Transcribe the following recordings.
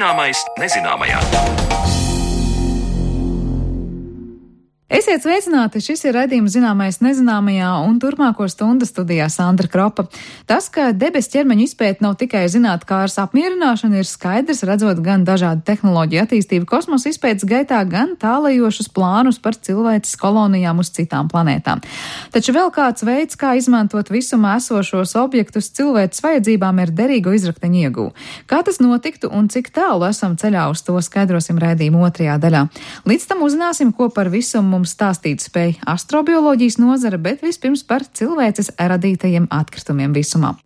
Zināmais nezināmajā. Esiet sveicināti, šis ir raidījums Zināmais nezināmajā un turpmāko stundu studijā Sandra Kropa. Tas, ka debesu ķermeņu izpēta nav tikai zinātnēkāras apmierināšana, ir skaidrs, redzot gan dažādu tehnoloģiju attīstību kosmosa izpētes gaitā, gan tālajošus plānus par cilvēces kolonijām uz citām planētām. Taču vēl kāds veids, kā izmantot visumā esošos objektus cilvēces vajadzībām, ir derīgo izrakteņu ieguve. Kā tas notiktu un cik tālu esam ceļā uz to, skaidrosim raidījuma otrajā daļā. Līdz tam uzzināsim, ko par visumu mums stāstīt spēj astrobioloģijas nozare, bet vispirms par cilvēces radītajiem atkritumiem visumā.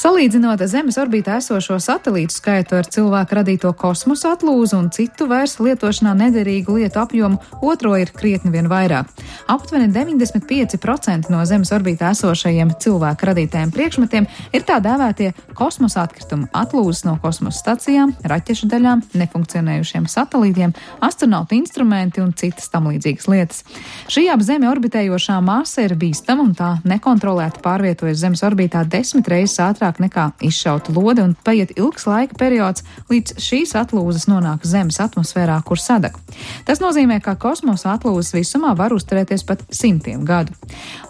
Salīdzinot Zemes orbītā esošo satelītu skaitu ar cilvēku radīto kosmosa atlūzu un citu vairs lietošanā nederīgu lietu apjomu, otro ir krietni vien vairāk. Aptuveni 95% no Zemes orbītā esošajiem cilvēku radītajiem priekšmetiem ir tā dēvētie kosmosa atkritumi, atlūzas no kosmosa stacijām, raķešu daļām, nefunkcionējušiem satelītiem, astronautu instrumenti un citas tam līdzīgas lietas. Šī ap Zemi orbitējošā masa ir bīstama un tā nekontrolēti pārvietojas Zemes orbītā 10 reizes ātrāk nekā izšauta lode un paiet ilgs laika periods, līdz šīs atlūzas nonāk Zemes atmosfērā, kur sadeg. Tas nozīmē, ka kosmosa atlūzas visumā var uzturēties pat simtiem gadu.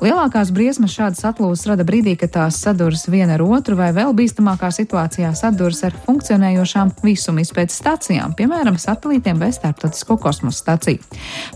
Lielākās briesmas šādas atlūzas rada brīdī, kad tās saduras viena ar otru vai vēl bīstamākā situācijā saduras ar funkcionējošām visuma izpētes stacijām, piemēram, satelītiem vai starptautisko kosmosa staciju.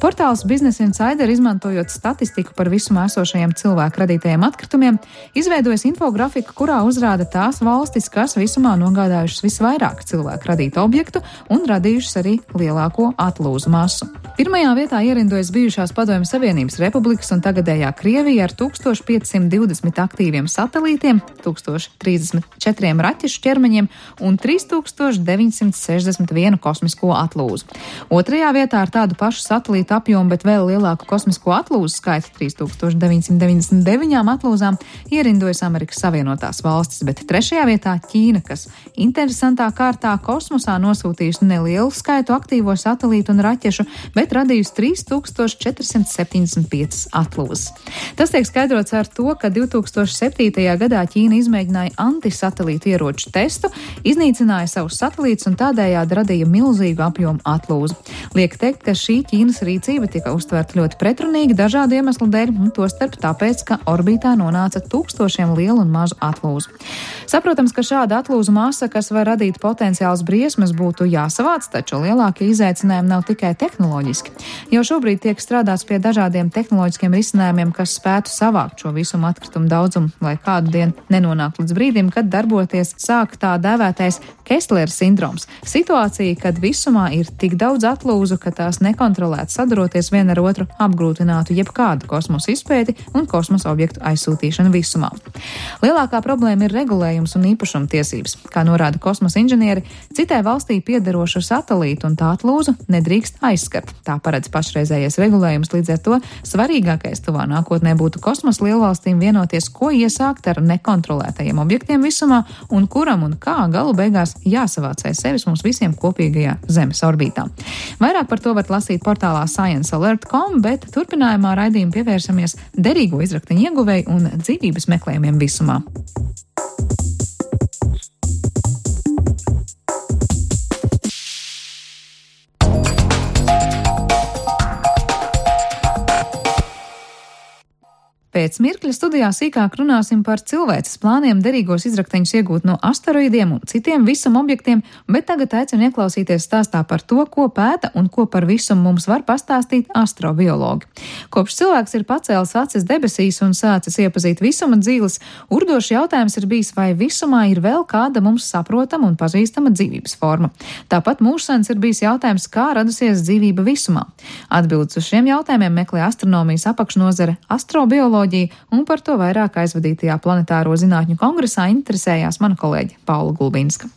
Portāls Business Insider, izmantojot statistiku par visumā esošajiem cilvēku radītajiem atkritumiem, izveidojas infografiku, kurā uzrāda tās valstis, kas visumā nogādājušas visvairāk cilvēku radītu objektu un radījušas arī lielāko atlūzu masu. Pirmajā vietā ierindojas bijušās Padomju Savienības republikas un tagadējā Krievija ar 1520 aktīviem satelītiem, 1034 raķešu ķermeņiem un 3961 kosmisko atlūzu. Otrajā vietā ar tādu pašu satelītu apjomu, bet vēl lielāku kosmisko atlūzu skaitu 3999 atlūzām ierindojas Amerikas Savienotās valstis, bet trešajā vietā Ķīna, kas interesantā kārtā kosmosā nosūtījusi nelielu skaitu aktīvo satelītu un raķešu, bet radījusi 3475 atlūzas. Tas tiek skaidrots ar to, ka 2007. gadā Ķīna izmēģināja antisatelītu ieroču testu, iznīcināja savus satelītus un tādējādi radīja milzīgu apjomu atlūzu. Liek teikt, ka šī Ķīnas rīcība tika uztverta ļoti pretrunīgi dažādu iemeslu dēļ, un tostarp tāpēc, ka orbītā nonāca tūkstošiem lielu un mazu atlūzu. Saprotams, ka šāda atlūzu masa, kas var radīt potenciāls briesmas, būtu jāsavāc, taču lielākie izaicinājumi nav tikai tehnoloģiski. Jau šobrīd tiek strādāts pie dažādiem tehnoloģiskiem risinājumiem, kas spētu savākt šo visumu atkritumu daudzumu, lai kādu dienu nenonāk līdz brīdim, kad darboties sāk tā dēvētais Kesslera sindroms. Situācija, kad visumā ir tik daudz atlūzu, ka tās nekontrolēti saduroties viena ar otru apgrūtinātu jebkādu kosmosa izpēti un kosmosa objektu aizsūtīšanu visumā. Lielākā problēma ir regulējums un īpašumtiesības. Kā norāda kosmosa inženieri, citai valstī piederošu satelītu un tā atlūzu nedrīkst aizskart. Tā paredz pašreizējais regulējums, līdz ar to svarīgākais tuvā nākotnē būtu kosmosa lielvalstīm vienoties, ko iesākt ar nekontrolētajiem objektiem visumā un kuram un kā galu beigās jāsavāc aiz sevis mums visiem kopīgajā Zemes orbītā. Vairāk par to varat lasīt portālā sciencealert.com, bet turpinājumā raidījumu pievērsamies derīgo izrakteņu ieguvēju un dzīvības meklējumiem visumā. Pēc mirkļa studijā sīkāk runāsim par cilvēces plāniem derīgos izrakteņus iegūt no asteroīdiem un citiem visuma objektiem, bet tagad aicinu ieklausīties stāstā par to, ko pēta un ko par visumu mums var pastāstīt astrobiologi. Kopš cilvēks ir pacēlis acis debesīs un sācis iepazīt visuma dzīves, urdošs jautājums ir bijis, vai visumā ir vēl kāda mums saprotama un pazīstama dzīvības forma. Tāpat mūžsens ir bijis jautājums, kā radusies dzīvība visumā. Atbildes uz šiem jautājumiem meklē astronomijas apakšnozare astrobioloģija, un par to vairāk aizvadītajā planetāro zinātņu kongresā interesējās mana kolēģe Paula Gulbinska.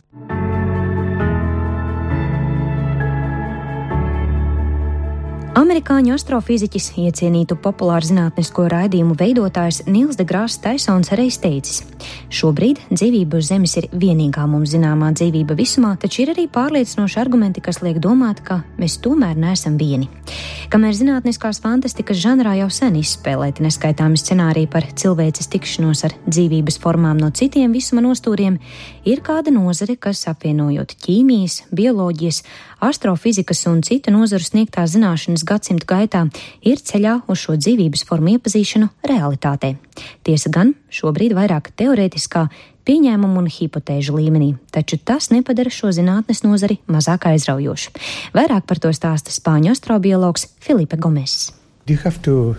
Amerikāņu astrofiziķis, iecienītu populāru zinātnisko raidījumu veidotājs Nils deGrasse Tysons reiz teicis: šobrīd dzīvība uz Zemes ir vienīgā mums zināmā dzīvība visumā, taču ir arī pārliecinoši argumenti, kas liek domāt, ka mēs tomēr neesam vieni. Kamēr zinātniskās fantastikas žanrā jau sen izspēlēti neskaitāmi scenāriji par cilvēces tikšanos ar dzīvības formām no citiem visuma nostūriem, ir kāda nozare, kas apvienojot ķīmijas, bioloģijas, astrofizikas un citu nozaru sniegtās zināšanas gadsimtu gaitā, ir ceļā uz šo dzīvības formu iepazīšanu realitātē. Tiesa gan, šobrīd vairāk teorētiskā, pieņēmumu un hipotēžu līmenī, taču tas nepadara šo zinātnes nozari mazāk aizraujošu. Vairāk par to stāsta spāņu astrobiologs Felipe Gomes. You have to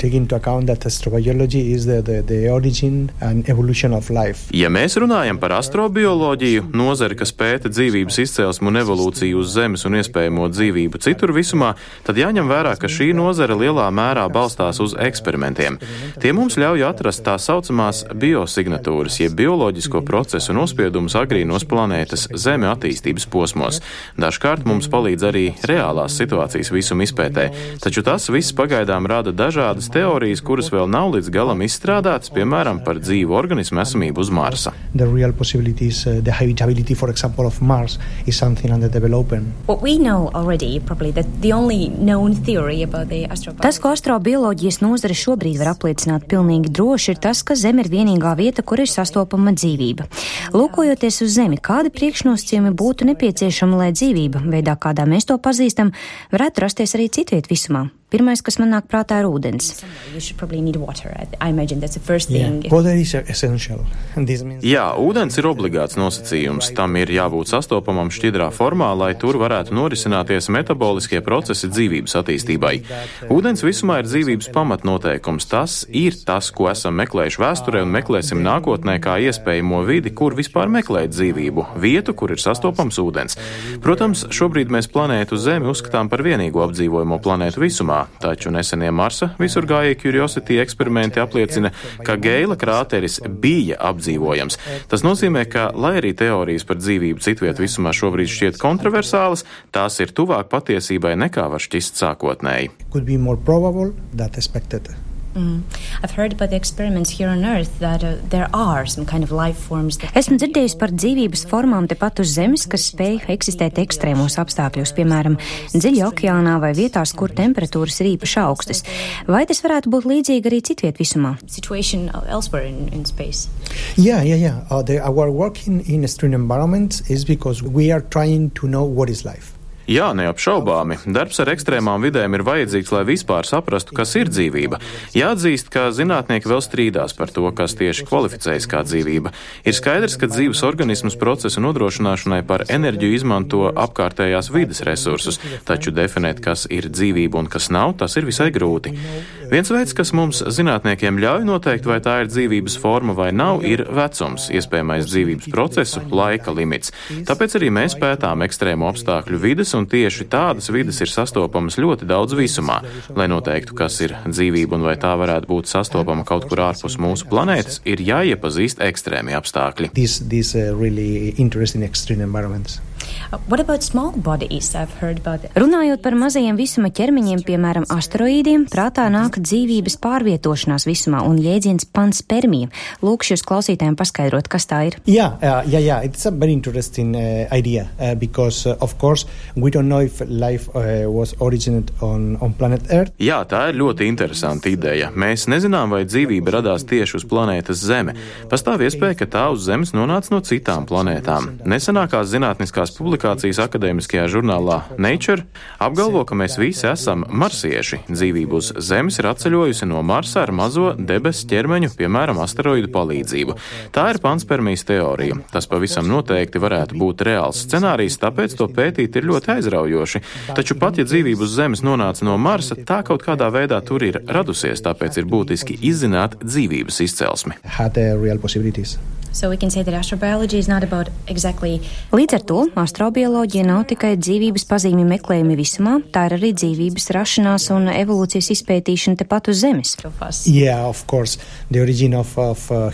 take into account that astrobiology is the origin and evolution of life. Ja mēs runājam par astrobioloģiju, nozari, kas pēta dzīvības izcelsmu un evolūciju uz Zemes un iespējamo dzīvību citur visumā, tad jāņem vērā, ka šī nozara lielā mērā balstās uz eksperimentiem. Tie mums ļauj atrast tā saucamās biosignatūras, jeb bioloģisko procesu nospiedumus agrīnos planētas Zeme attīstības posmos. Dažkārt mums palīdz arī reālās situācijas visuma izpētē, taču tas viss pagaidām rada dažādas teorijas, kuras vēl nav līdz galam izstrādātas, piemēram, par dzīvu organismu esamību uz Marsa. The real possibilities, the habitability, for example, of Mars is something under development. What we know already, probably, that the only known theory about the astrobiology. Tas, ko astrobioloģijas nozare šobrīd var apliecināt pilnīgi droši, ir tas, ka Zeme ir vienīgā vieta, kur ir sastopama dzīvība. Lūkojoties uz Zemi, kādi priekšnosacījumi būtu nepieciešami, lai dzīvība, veidā, kādā mēs to pazīstam, varētu rasties arī citviet visumā? Pirmais, kas man nāk prātā, ir ūdens. Jā, ūdens ir obligāts nosacījums. Tam ir jābūt sastopamam šķidrā formā, lai tur varētu norisināties metaboliskie procesi dzīvības attīstībai. Ūdens visumā ir dzīvības pamatnoteikums. Tas ir tas, ko esam meklējuši vēsturē un meklēsim nākotnē kā iespējamo vidi, kur vispār meklēt dzīvību, vietu, kur ir sastopams ūdens. Protams, šobrīd mēs planētu Zemi uzskatām par vienīgo apdzīvojamo planētu visumā. Taču nesenie Marsa visurgājēji Curiosity eksperimenti apliecina, ka Geila krāteris bija apdzīvojams. Tas nozīmē, ka, lai arī teorijas par dzīvību citviet visumā šobrīd šķiet kontroversālas, tās ir tuvāk patiesībai nekā var šķist sākotnēji. I've heard about the experiments here on Earth that there are some kind of life forms that... Esmu dzirdējusi par dzīvības formām tepat uz Zemes, kas spēj eksistēt ekstrēmos apstākļos, piemēram, dziļi okeānā vai vietās, kur temperatūras ir īpaši augstas. Vai tas varētu būt līdzīgi arī citviet visumā? Situation elsewhere in space. Yeah. Our work in extreme environments is because we are trying to know what is life. Jā, neapšaubāmi. Darbs ar ekstrēmām vidēm ir vajadzīgs, lai vispār saprastu, kas ir dzīvība. Jāatzīst, ka zinātnieki vēl strīdās par to, kas tieši kvalificējas kā dzīvība. Ir skaidrs, ka dzīves organismus procesu nodrošināšanai par enerģiju izmanto apkārtējās vides resursus, taču definēt, kas ir dzīvība un kas nav, tas ir visai grūti. Viens veids, kas mums zinātniekiem ļauj noteikt, vai tā ir dzīvības forma vai nav, ir vecums, iespējamais dzīvības procesu, laika limits. Tāpēc arī mēs pētām ekstrēmu apstākļu vides, un tieši tādas vides ir sastopamas ļoti daudz visumā. Lai noteiktu, kas ir dzīvība un vai tā varētu būt sastopama kaut kur ārpus mūsu planētas, ir jāiepazīst ekstrēmi apstākļi. Really interesting extreme environments. What about small bodies? I've heard about that. Runājot par mazajiem visuma ķermeņiem, piemēram, asteroīdiem, prātā nāk dzīvības pārvietošanās visumā un jēdziens panspermija. Lūkšu jūs klausītājiem paskaidrot, kas tā ir. Yeah. It's a very interesting idea because, of course, we don't know if life was originated on planet Earth. Jā, tā ir ļoti interesanta ideja. Mēs nezinām, vai dzīvība radās tieši uz planētas Zeme. Pastāv iespēja, ka tā uz Zemes nonāca no citām planētām. Nesenākās zinātniskās publikācijas akadēmiskajā žurnālā Nature apgalvo, ka mēs visi esam marsieši. Dzīvība uz Zemes ir atceļojusi no Marsa ar mazo debesu ķermeņu, piemēram, asteroīdu palīdzību. Tā ir panspermijas teorija. Tas pavisam noteikti varētu būt reāls scenārijs, tāpēc to pētīt ir ļoti aizraujoši. Taču pat, ja dzīvība uz Zemes nonāca no Marsa, tā kaut kādā veidā tur ir radusies, tāpēc ir būtiski izzināt dzīvības izcelsmi. Līdz ar to astrobioloģija nav tikai dzīvības pazīmju meklējumi visumā, tā ir arī dzīvības rašanās un evolūcijas izpētīšana tepat uz Zemes. Yeah, of course. The origin of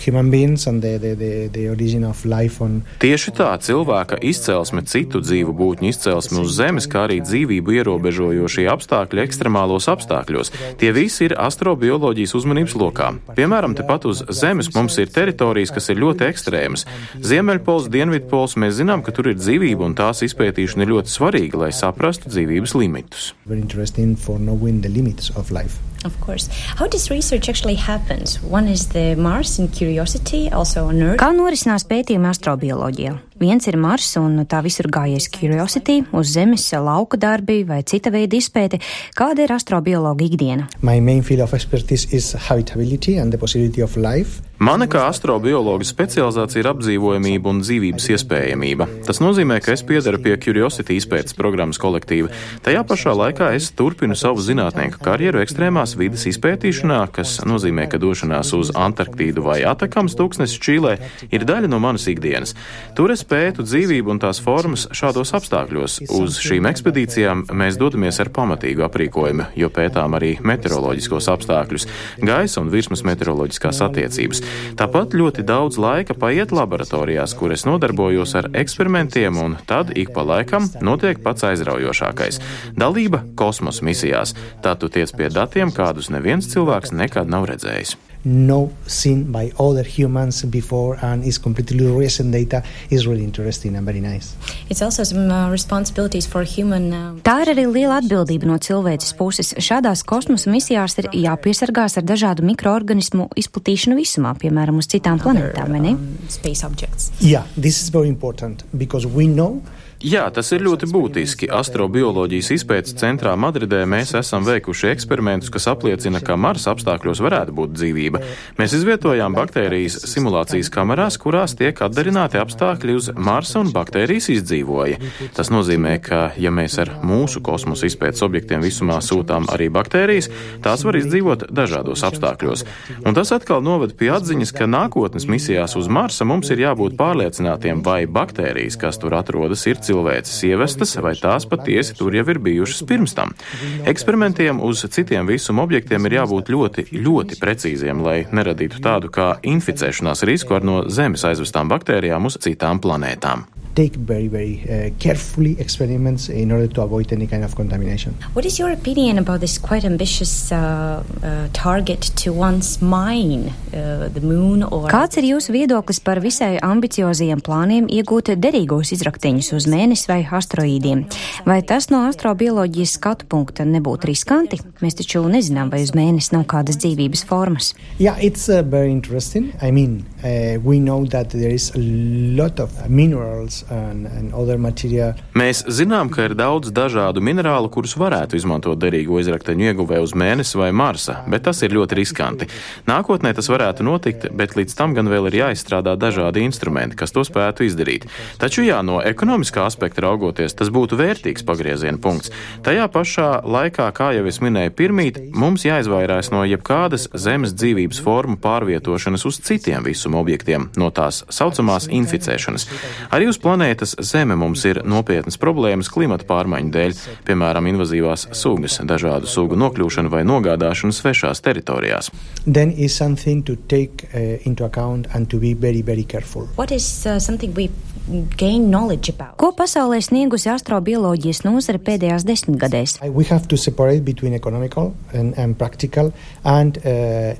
human beings and the origin of life on... Tieši tā, cilvēka izcelsme, citu dzīvu būtņu izcelsme uz Zemes, kā arī dzīvību ierobežojošie apstākļi ekstremālos apstākļos. Tie visi ir astrobioloģijas uzmanības lokā. Piemēram, tepat uz Zemes mums ir teritorijas, kas ir ļoti ekstrēmas. Ziemeļpols, Dienvidpols, mēs zinām, ka tur ir dzīvība un tās izpētīšana ir ļoti svarīga, lai saprastu dzīvības limitus. Very interesting for knowing the limits of life. Of course. How this research actually happens? One is the Mars and Curiosity, also on Earth. Kā norisinās pētījumi astrobioloģijā? Viens ir Mars un tā visur gājies Curiosity, uz Zemes lauka darbi vai cita veida izpēte. Kāda ir astrobiologa ikdiena? My main field of expertise is habitability and the possibility of life. Mana kā astrobiologa specializācija ir apdzīvojamība un dzīvības iespējamība. Tas nozīmē, ka es piedaru pie Curiosity izpētes programmas kolektīva. Tajā pašā laikā es turpinu savu zinātnieku karjeru ekstrēmās vides izpētīšanā, kas nozīmē, ka došanās uz Antarktīdu vai Atakams tūkstnesis Čīlē ir daļa no manas ikdienas. Tur es pētu dzīvību un tās formas šādos apstākļos. Uz šīm ekspedīcijām mēs dodamies ar pamatīgu aprīkojumu, jo pētām arī meteoroloģiskos apstākļus, gaisa un virsmas meteoroloģiskās attiecības. Tāpat ļoti daudz laika paiet laboratorijās, kur es nodarbojos ar eksperimentiem, un tad ik pa laikam notiek pats aizraujošākais - dalība kosmosa misijās. Tad tu tiec pie datiem, kādus neviens cilvēks nekad nav redzējis. No seen by other humans before and is completely recent data is really interesting and very nice. It's also some responsibilities for human. Tā ir arī liela atbildība no cilvēces puses. Šādās kosmosa misijās ir jāpiesargās ar dažādu mikroorganismu izplatīšanu visumā, piemēram, uz citām planētām, vai ne? Space objects. Yeah, this is very important because we know. Jā, tas ir ļoti būtiski. Astrobioloģijas izpētes centrā Madridē mēs esam veikuši eksperimentus, kas apliecina, ka Marsa apstākļos varētu būt dzīvība. Mēs izvietojām baktērijas simulācijas kamerās, kurās tiek atdarināti apstākļi uz Marsa un baktērijas izdzīvoja. Tas nozīmē, ka, ja mēs ar mūsu kosmosa izpētes objektiem visumā sūtām arī baktērijas, tās var izdzīvot dažādos apstākļos. Un tas atkal noved pie atziņas, ka nākotnes misijās uz Marsa mums ir jābūt pārliecinātiem, vai baktērijas, kas tur atrodas, ir cilvēces ievestas, vai tās patiesi tur jau ir bijušas pirms tam. Eksperimentiem uz citiem visuma objektiem ir jābūt ļoti, ļoti precīziem, lai neradītu tādu kā inficēšanās risku ar no Zemes aizvestām baktērijām uz citām planētām. Take very carefully experiments in order to avoid any kind of contamination. What is your opinion about this quite ambitious target to once mine the moon? Kāds ir jūsu viedoklis par visai ambiciozajiem plāniem iegūt derīgos izrakteņus uz Mēnesi vai asteroīdiem? Vai tas no astrobioloģijas skatu punkta nebūtu riskanti? Mēs taču nezinām, vai uz Mēnesi nav kādas dzīvības formas. Yeah, it's very interesting. I mean, we know that there is a lot of minerals and other material. Mēs zinām, ka ir daudz dažādu minerālu, kurus varētu izmantot derīgo izrakteņu ieguvē uz Mēnesi vai Marsa, bet tas ir ļoti riskanti. Nākotnē tas varētu notikt, bet līdz tam gan vēl ir jāizstrādā dažādi instrumenti, kas to spētu izdarīt. Taču jā, no ekonomiskā aspekta raugoties, tas būtu vērtīgs pagrieziena punkts. Tajā pašā laikā, kā jau es minēju pirmīt, mums jāizvairās no jebkādas Zemes dzīvības formu pārvietošanas uz citiem visuma objektiem, no tās saucamās inficēšanas. Arī uz planētas Zeme mums ir nopietnas problēmas klimata pārmaiņu dēļ, piemēram, invazīvās sugas, dažādu sugu nokļūšanu vai nogādāšanu svešās teritorijās. Then is something to take into account and to be very, very careful. What is something we gain knowledge about? Ko pasaulē sniegusi astrobioloģijas nozare pēdējās 10 gadēs? We have to separate between economical and practical and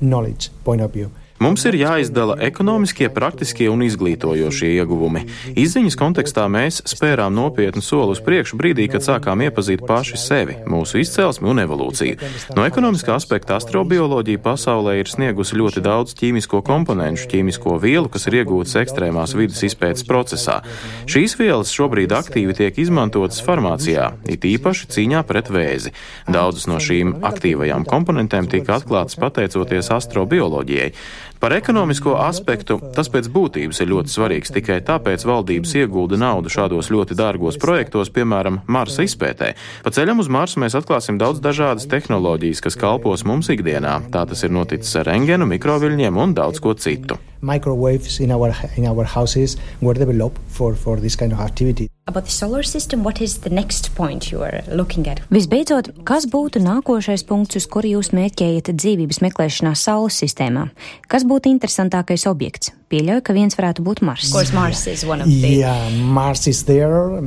knowledge point of view. Mums ir jāizdala ekonomiskie, praktiskie un izglītojošie ieguvumi. Izziņas kontekstā mēs spērām nopietnu soli uz priekšu brīdī, kad sākām iepazīt paši sevi, mūsu izcelsmi un evolūciju. No ekonomiskā aspekta astrobioloģija pasaulē ir sniegusi ļoti daudz ķīmisko komponentu, ķīmisko vielu, kas ir iegūtas ekstrēmās vidas izpētes procesā. Šīs vielas šobrīd aktīvi tiek izmantotas farmācijā, it īpaši cīņā pret vēzi. Daudzas no šīm aktīvajām komponentēm tika atklātas pateicoties astrobioloģijai. Par ekonomisko aspektu tas pēc būtības ir ļoti svarīgs, tikai tāpēc valdības iegulda naudu šādos ļoti dārgos projektos, piemēram, Marsa izpētē. Pa ceļam uz Marsu mēs atklāsim daudz dažādas tehnoloģijas, kas kalpos mums ikdienā. Tā tas ir noticis ar rentgenu, mikroviļņiem un daudz ko citu. microwaves in our houses were developed for this kind of activity. About the solar system, what is the next point you are looking at? Visbeidzot, kas būtu nākošais punkts, uz kuru jūs mērķējat dzīvības meklēšanā Saules sistēmā? Kas būtu interesantākais objekts? Pieļauju, ka viens varētu būt Mars. Of course, Mars is one of the... Yeah, Mars is there.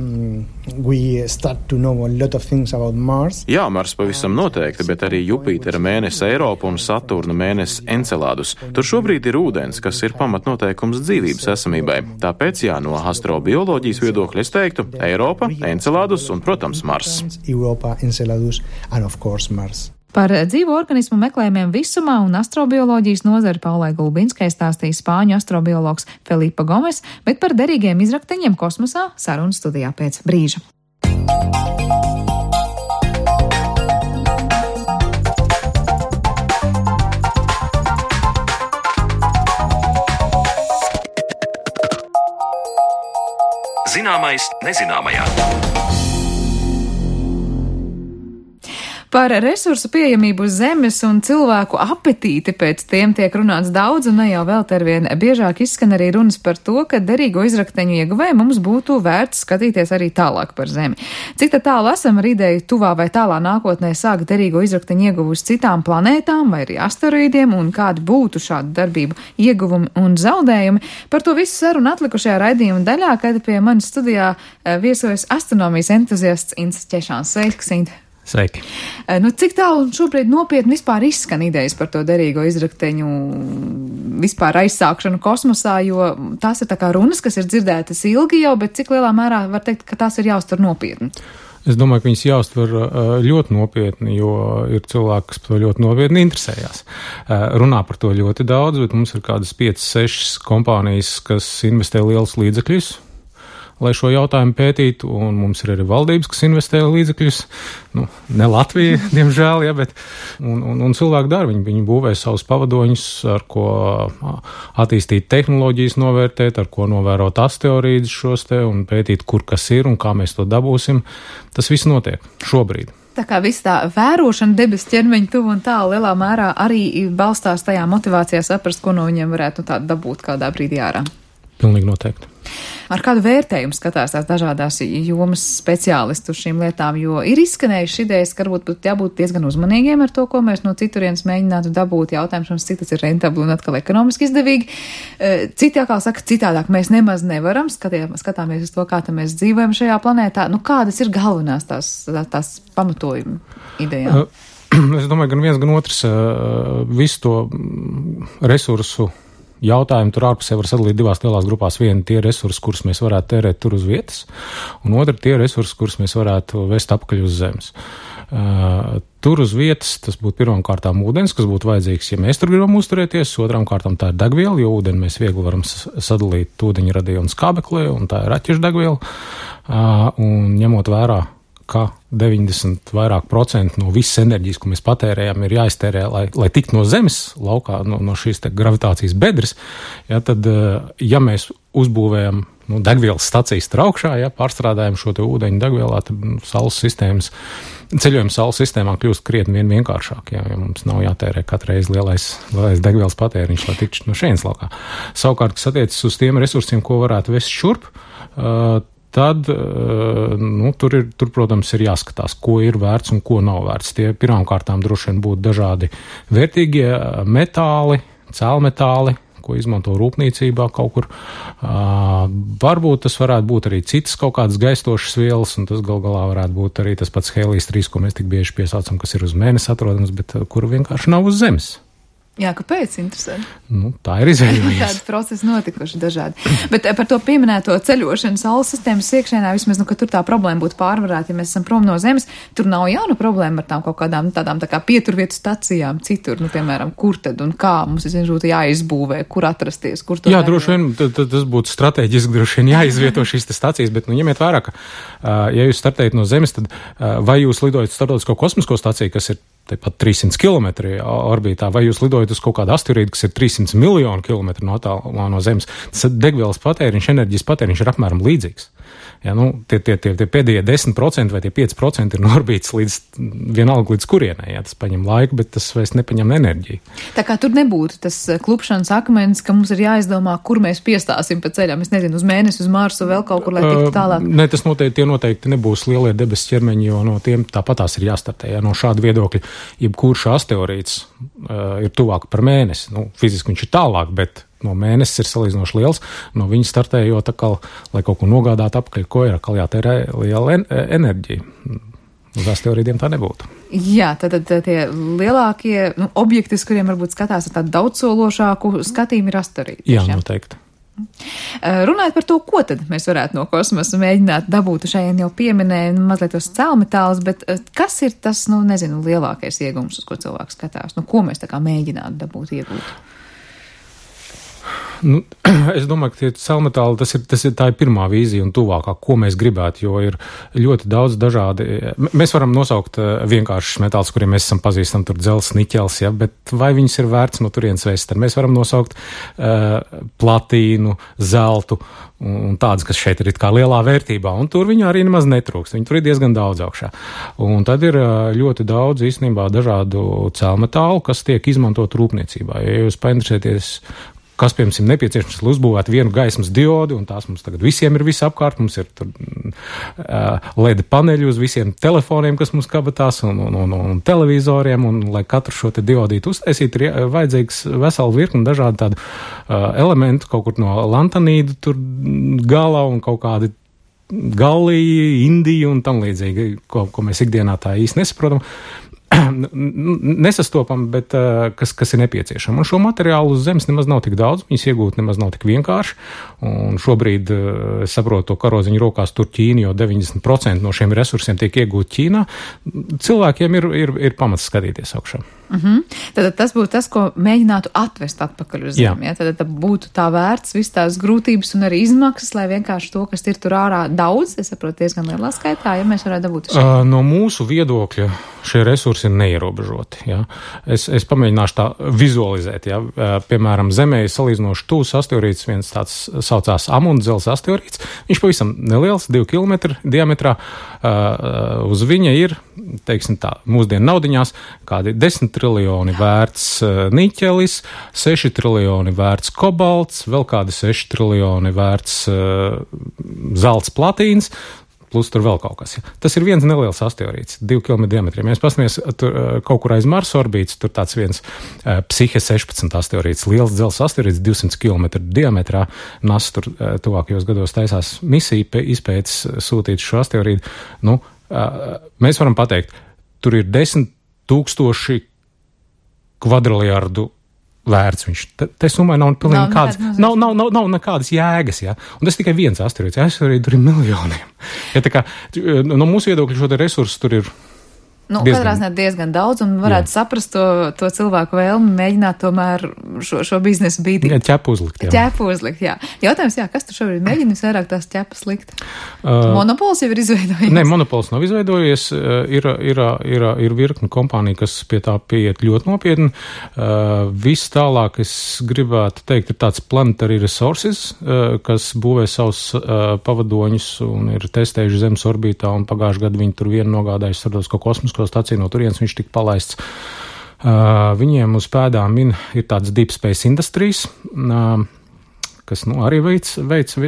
We start to know a lot of things about Mars. Jā, Mars pavisam noteikti, bet arī Jupitera mēnesi Eiropa un Saturna mēnesi Encelādus. Tur šobrīd ir ūdens, kas ir pamatnoteikums dzīvības esamībai. Tāpēc, jā, no astrobioloģijas viedokļa es teiktu Eiropa, Encelādus un, protams, Mars. Europa, Enceladus and of course Mars. Par dzīvo organismu meklējumiem visumā un astrobioloģijas nozari Paulai Gulbinskai stāstīja spāņu astrobiologs Felipe Gomes, bet par derīgiem izrakteņiem kosmosā sarunas studijā pēc brīža. Zināmais nezināmajā. Par resursu pieejamību uz Zemes un cilvēku apetīti pēc tiem tiek runāts daudz, un ne jau vēl arvien biežāk izskan arī runas par to, ka derīgo izrakteņu ieguvēju mums būtu vērts skatīties arī tālāk par Zemi. Cik tālu esam ar ideju tuvā vai tālā nākotnē sākt derīgo izrakteņu ieguvu uz citām planētām vai arī asteroīdiem, un kādi būtu šādu darbību ieguvumi un zaudējumi? Par to visu sarunu atlikušajā raidījuma daļā, kad pie manis studijā viesojas astronomijas entuziasts Ints Ķešāns. Sveiks, Int! Sveiki. Cik tālu šobrīd nopietni vispār izskan idejas par to derīgo izrakteņu vispār aizsākšanu kosmosā, jo tās ir tā kā runas, kas ir dzirdētas ilgi jau, bet cik lielā mērā var teikt, ka tās ir jāuztver nopietni? Es domāju, ka viņas jāuztver ļoti nopietni, jo ir cilvēki, kas par to ļoti nopietni interesējās. Runā par to ļoti daudz, bet mums ir kādas 5-6 kompānijas, kas investē lielus līdzekļus, lai šo jautājumu pētītu, un mums ir arī valdības, kas investē līdzekļus, ne Latvija, diemžēl, ja, bet, un cilvēki dara, viņi būvē savus pavadoņus, ar ko attīstīt tehnoloģijas novērtēt, ar ko novērot asteroīdus šos te, un pētīt, kur kas ir, un kā mēs to dabūsim. Tas viss notiek šobrīd. Tā kā viss tā vērošana debes ķermeņa tuvu un tālu lielā mērā arī balstās tajā motivācijā saprast, ko no viņiem varētu tā dabūt kādā brīdī ārā. Pilnīgi noteikti. Ar kādu vērtējumu skatās tās dažādās jomas speciālistu uz šīm lietām, jo ir izskanējuši idejas, ka varbūt būtu jābūt diezgan uzmanīgiem ar to, ko mēs no citurienes mēģinātu dabūt. Jautājums, cik tas ir rentabli un atkal ekonomiski izdevīgi. Citi atkal saka, citādāk mēs nemaz nevaram, skatāmies uz to, kā mēs dzīvojam šajā planētā. Kādas ir galvenās tās pamatojuma idejām? Es domāju, gan viens, gan otrs visu to resursu jautājumu tur ārpusē var sadalīt divās lielās grupās. Viena tie resursi, kurus mēs varētu tērēt tur uz vietas, un otra tie resursi, kurus mēs varētu vest apakaļ uz Zemes. Tur uz vietas tas būtu pirmām kārtām ūdens, kas būtu vajadzīgs, ja mēs tur gribam uzturēties, otrām kārtām tā ir degviela, jo ūdeni mēs viegli varam sadalīt ūdeņa radījuma skābeklē, un tā ir raķešu degviela, un ņemot vērā, ka 90% vairāk no visas enerģijas, ko mēs patērējam, ir jāiztērē, lai tiktu no Zemes laukā, no šīs te gravitācijas bedres, ja, tad, ja mēs uzbūvējam degvielas stacijas augšā, ja, pārstrādājam šo te ūdeņu degvielā, tad ceļojums Saules sistēmā kļūst krietni vienkāršāk, ja mums nav jātērē katru reizi lielais degvielas patēriņš, lai tiktu no šejienes laukā. Savukārt, kas attiecas uz tiem resursiem, ko varētu vest šurp, tad, tur, protams, ir jāskatās, ko ir vērts un ko nav vērts. Tie pirmām kārtām droši vien būtu dažādi vērtīgie metāli, cēlmetāli, ko izmanto rūpniecībā kaut kur. Varbūt tas varētu būt arī citas kaut kādas gaistošas vielas, un tas gal galā varētu būt arī tas pats hēlijs 3, ko mēs tik bieži piesaucam, kas ir uz Mēnesi atrodams, bet kuru vienkārši nav uz Zemes. Jā, kāpēc? Interesanti. Tā ir izvēlējies. Tādi procesi notikuši dažādi. Bet par to pieminēto ceļošanu Saules sistēmas iekšēnā, vismaz, ka tur tā problēma būtu pārvarēta, ja mēs esam prom no Zemes, tur nav jauna problēma ar tām kaut kādām tādām tā kā pieturvietu stacijām citur, piemēram, kur tad un kā mums būtu jāizbūvē, kur atrasties, kur to. Jā, droši vien, tas būtu strateģiski droši vien jāizvieto šīs stacijas, bet, ņemiet vērā, ka, ja jūs startējat no Zemes, tad vai jūs lidojat starptautisko kosmisko staciju, kas ir tepat 300 km orbītā, vai jūs lidojat uz kaut kādu asteroīdu, kas ir 300 miljonu kilometru no Zemes, tas degvielas patēriņš, enerģijas patēriņš ir apmēram līdzīgs. Ja, tie pēdējie 10% vai tie 5% ir norbīts vienalga līdz kurienai. Ja, tas paņem laiku, bet tas vairs nepaņem enerģiju. Tā kā tur nebūtu tas klupšanas akmens, ka mums ir jāizdomā, kur mēs piestāsim pa ceļam. Es nezinu, uz Mēnesi, uz Marsu, vēl kaut kur, lai tiktu tālāk. Ne, tas noteikti nebūs lielie debesu ķermeņi, jo no tiem tāpatās ir jāstartē. Ja, no šāda viedokļa, jebkurš asteroīds ir tuvāk par Mēnesi. Fiziski viņš ir tālāk, bet no Mēnesis ir salīdzinoši liels. No viņa startējot atkal, lai kaut ko nogādātu apakaļ, ko ir atkal jātērē liela enerģija. Uz asteroīdiem tā nebūtu. Jā, tad tie lielākie objekti, uz kuriem varbūt skatās ar tādu daudzsološāku skatījumu, ir asteroīdi. Jā, noteikti. Runājot par to, ko tad mēs varētu no kosmosa mēģināt dabūt, šeit jau pieminēja mazliet tos cēlmetālus, bet kas ir tas, lielākais iegums, uz ko cilvēks skatās? Ko mēs tā kā mēģinātu dabūt, iegūt? Es domāju, ka tie cēlmetāli, tā ir pirmā vīzija un tuvākā, ko mēs gribētu, jo ir ļoti daudz dažādi. Mēs varam nosaukt vienkāršus metālus, kuriem mēs esam pazīstami, tur dzels, niķels, ja, bet vai viņas ir vērts no turienes vēst? Tad mēs varam nosaukt platīnu, zeltu un tādas, kas šeit ir it kā lielā vērtībā, un tur viņa arī nemaz netrūkst. Viņa tur ir diezgan daudz augšā. Un tad ir ļoti daudz īstenībā dažādu cēlmetālu, kas tiek izmantot rūpniecībā. Ja jūs painteresēties, kas, piemēram, nepieciešams, lai uzbūvētu vienu gaismas diodu, un tās mums tagad visiem ir visapkārt, mums ir tur LED paneļi uz visiem telefoniem, kas mums kabatās, un televizoriem, un lai katru šo te diodītu uztaisīt, ir vajadzīgs vesela virkni dažādu tādu elementu, kaut kur no lantanīdu tur galā un kaut kādi galīgi, indiju un tam līdzīgi, ko mēs ikdienā tā īsti nesaprotam. Nesastopam, bet kas ir nepieciešama. Un šo materiālu uz Zemes nemaz nav tik daudz, viņas iegūt nemaz nav tik vienkārši. Un šobrīd, es saprotu, to karodziņu rokās tur Ķīna, jo 90% no šiem resursiem tiek iegūt Ķīnā. Cilvēkiem ir pamats skatīties augšā. Tad tas būtu tas, ko mēģinātu atvest atpakaļ uz Zemi. Ja? Tad būtu tā vērts viss tās grūtības un arī izmaksas, lai vienkārši to, kas ir tur ārā daudz, es saprotu, diezgan lielā skaitā, ja mēs varētu dabūt šeit. No mūsu viedokļa šie resursi ir neierobežoti. Ja? Es pamēģināšu tā vizualizēt. Ja? Piemēram, Zemē ir salīdzinoši tūs asteroīds, viens tāds saucās Amundzels asteroīds. Viņš pavisam neliels, 2 km diametrā. Uz viņa ir, teiksim tā, mūsdienu naudiņās, kādi 10 triljoni vērts niķelis, 6 triljoni vērts kobalts, vēl kādi 6 triljoni vērts zelts platīns, plus tur vēl kaut kas. Ja. Tas ir viens neliels asteroīds, 2 km diametriem. Ja mēs pastamies kaut kur aiz Marsa orbītas, tur tāds viens Psihe 16 asteroīds, liels dzels asteroīds, 200 km diametrā. NASA tur tuvākajos gados taisās misiju izpētes sūtīt šo asteroīdu. Mēs varam pateikt, tur ir 10 000 kvadriljardu vērts viņš. Te summai nav pilnīgi nekādas jēgas, ja? Un tas tikai viens asteroīds. Asteroīdi tur ir miljoniem. Ja, tā kā, no mūsu viedokļa šo te resursu tur ir katrā ziņā diezgan daudz, un varētu saprast to cilvēku vēlmi mēģināt tomēr šo biznesu bīdīt. Ķepu uzlikt, jā. Ķepu uzlikt, jā. Jautājums, kas tu šobrīd mēģini vairāk tās ķepas likt? Monopols jau ir izveidojies? Nē, monopols nav izveidojies. Ir virkni kompānija, kas pie tā pieiet ļoti nopietni. Viss tālāk, es gribētu teikt, ir tāds Planetary Resources, kas būvē savus pavadoņus un ir testējuši Zemes orbītā, un pagājušajā gadā viņi tur vienu nogādājuši starptautisko kosmosu staciju, no turienes viņš tika palaists. Viņiem uz pēdām ir tāds Deep Space Industries, kas arī veic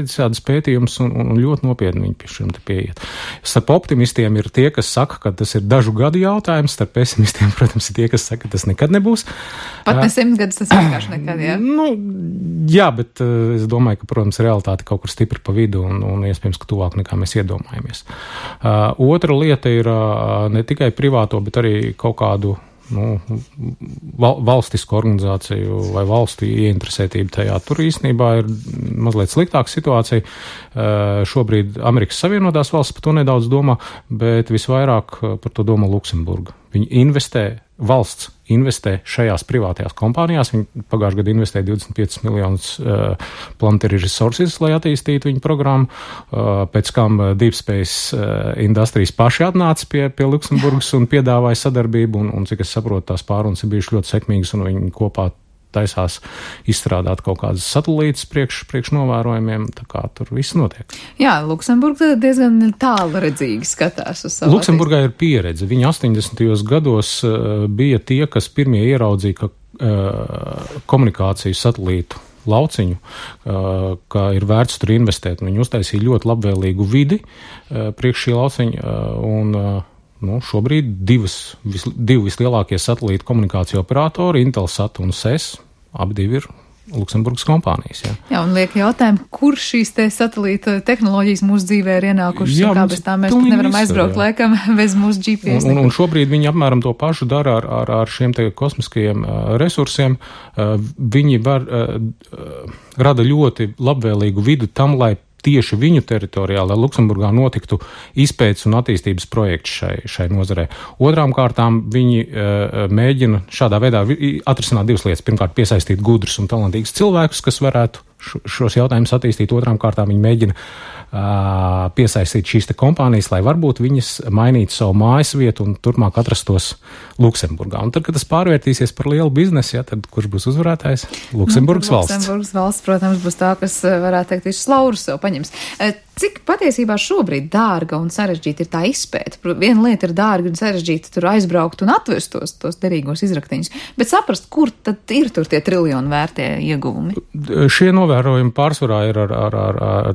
šādas pētījumus un ļoti nopietni viņi pie šiem te pieiet. Starp optimistiem ir tie, kas saka, ka tas ir dažu gadu jautājums, starp pesimistiem, protams, ir tie, kas saka, ka tas nekad nebūs. Pat ne 100 gadus tas vienkārši nekad, jā? Jā, bet es domāju, ka, protams, realitāte kaut kur stipri pa vidu un iespējams, ka tuvāk nekā mēs iedomājamies. Otra lieta ir ne tikai privāto, bet arī kaut kādu valstisku organizāciju vai valstu ieinteresētību tajā. Tur īstenībā ir mazliet sliktāka situācija. Šobrīd Amerikas Savienotās valsts par to nedaudz domā, bet visvairāk par to domā Luksemburga. Valsts investē šajās privātajās kompānijās. Viņi pagājušajā gadā investēja 25 miljonus Planetary Resources, lai attīstītu viņu programmu. Pēc kam Deep Space Industries paši atnāca pie Luksemburgas un piedāvāja sadarbību, un cik es saprotu, tās pārunas ir bijušas ļoti sekmīgas, un viņi kopā taisās izstrādāt kaut kādas satelītas priekš novērojumiem, tā kā tur viss notiek. Jā, Luksemburga diezgan tālredzīgi skatās uz savu. Luksemburgā ir pieredze. Viņi 80. gados bija tie, kas pirmie ieraudzīja, ka komunikāciju satelītu lauciņu, ka ir vērts tur investēt. Viņi uztaisīja ļoti labvēlīgu vidi priekš šī lauciņa, un šobrīd divi vislielākie satelītu komunikāciju operatori, Intelsat un SES, abi divi ir Luksemburgas kompānijas. Jā, un liek jautājumu, kur šīs te satelīta tehnoloģijas mūsu dzīvē ir ienākušas, un kā bez tā mēs nevaram aizbraukt laikam bez mūsu GPS. Un šobrīd viņi apmēram to pašu dara ar šiem te kosmiskajiem resursiem. Viņi rada ļoti labvēlīgu vidu tam, lai tieši viņu teritorijā, lai Luksemburgā notiktu izpētes un attīstības projekts šai nozarē. Otrām kārtām viņi mēģina šādā veidā atrisināt divas lietas. Pirmkārt, piesaistīt gudrus un talantīgus cilvēkus, kas varētu šos jautājumus attīstīt. Otrām kārtām viņi mēģina piesaistīt šīs te kompānijas, lai varbūt viņas mainītu savu mājas vietu un turpmāk atrastos Luksemburgā. Un tad, kad tas pārvērtīsies par lielu biznesu, tad kurš būs uzvarētājs? Luksemburgas valsts. Luksemburgas valsts, protams, būs tā, kas varētu teikt, visus laurus sev paņems. Cik patiesībā šobrīd dārga un sarežģīta ir tā izpēta? Viena lieta ir dārga un sarežģīta tur aizbraukt un atvest tos derīgos izraktiņus, bet saprast, kur tad ir tur tie triljoni vērtie ieguvumi? Šie novērojumi pārsvarā ir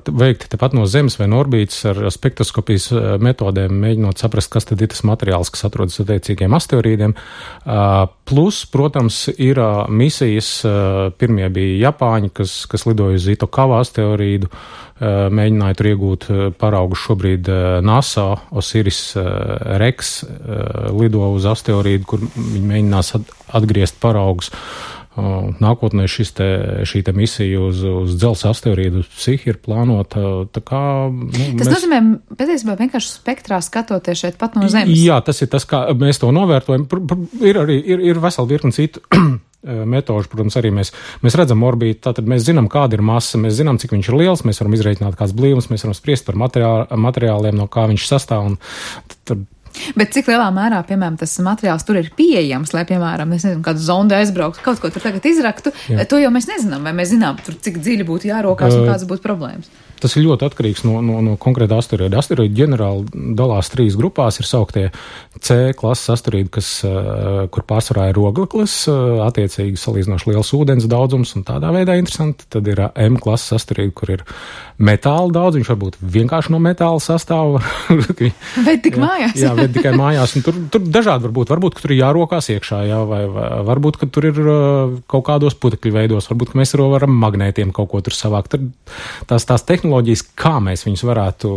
veikti tepat no Zemes vai no orbītas ar spektroskopijas metodēm, mēģinot saprast, kas tad ir tas materiāls, kas atrodas attiecīgiem asteroīdiem. Plus, protams, ir misijas, pirmie bija Japāņi, kas lidoja uz Itokawa asteroīdu, mēģināja tur iegūt paraugus. Šobrīd NASA Osiris Rex lido uz asteroīdu, kur viņi mēģinās atgriezt paraugus. Nākotnē šī misija uz dzelzs asteroīdu Psihi ir plānota. Tas nozīmē, patiesībā vienkārši spektrā skatoties šeit pat no Zemes. Jā, tas ir tas, kā mēs to novērtojam. Ir vesela virkni citu metožu, protams, arī mēs redzam orbītu, tātad mēs zinām, kāda ir masa, mēs zinām, cik viņš ir liels, mēs varam izreikināt kāds blīvums, mēs varam spriest par materiāliem, no kā viņš sastāv. Bet cik lielā mērā, piemēram, tas materiāls tur ir pieejams, lai, piemēram, es nezinu, kādu zondu aizbrauktu, kaut ko tur tagad izraktu, to jau mēs nezinām, vai mēs zinām, tur cik dziļi būtu jārokās un kādas būtu problēmas. Tas ir ļoti atkarīgs no konkrēta asteroīda. Asteroīdi ģenerāli dalās 3 grupās. Ir sauktie C klases asteroīdi, kur pārsvarā ir ogleklis, attiecīgi salīdzinoši liels ūdens daudzums un tādā veidā interesanti. Tad ir M klases asteroīdi, kur ir metāla daudz, viņš varbūt vienkārši no metāla sastāv. Ved tik mājās. Jā, ved tikai mājās. Un tur dažādi varbūt, ka tur ir jārokās iekšā, jā, vai varbūt, ka tur ir kaut kādos putekļu veidos, varbūt, ka mēs varam magnētiem kaut ko tur savākt. Tās tehnoloģijas, kā mēs viņus varētu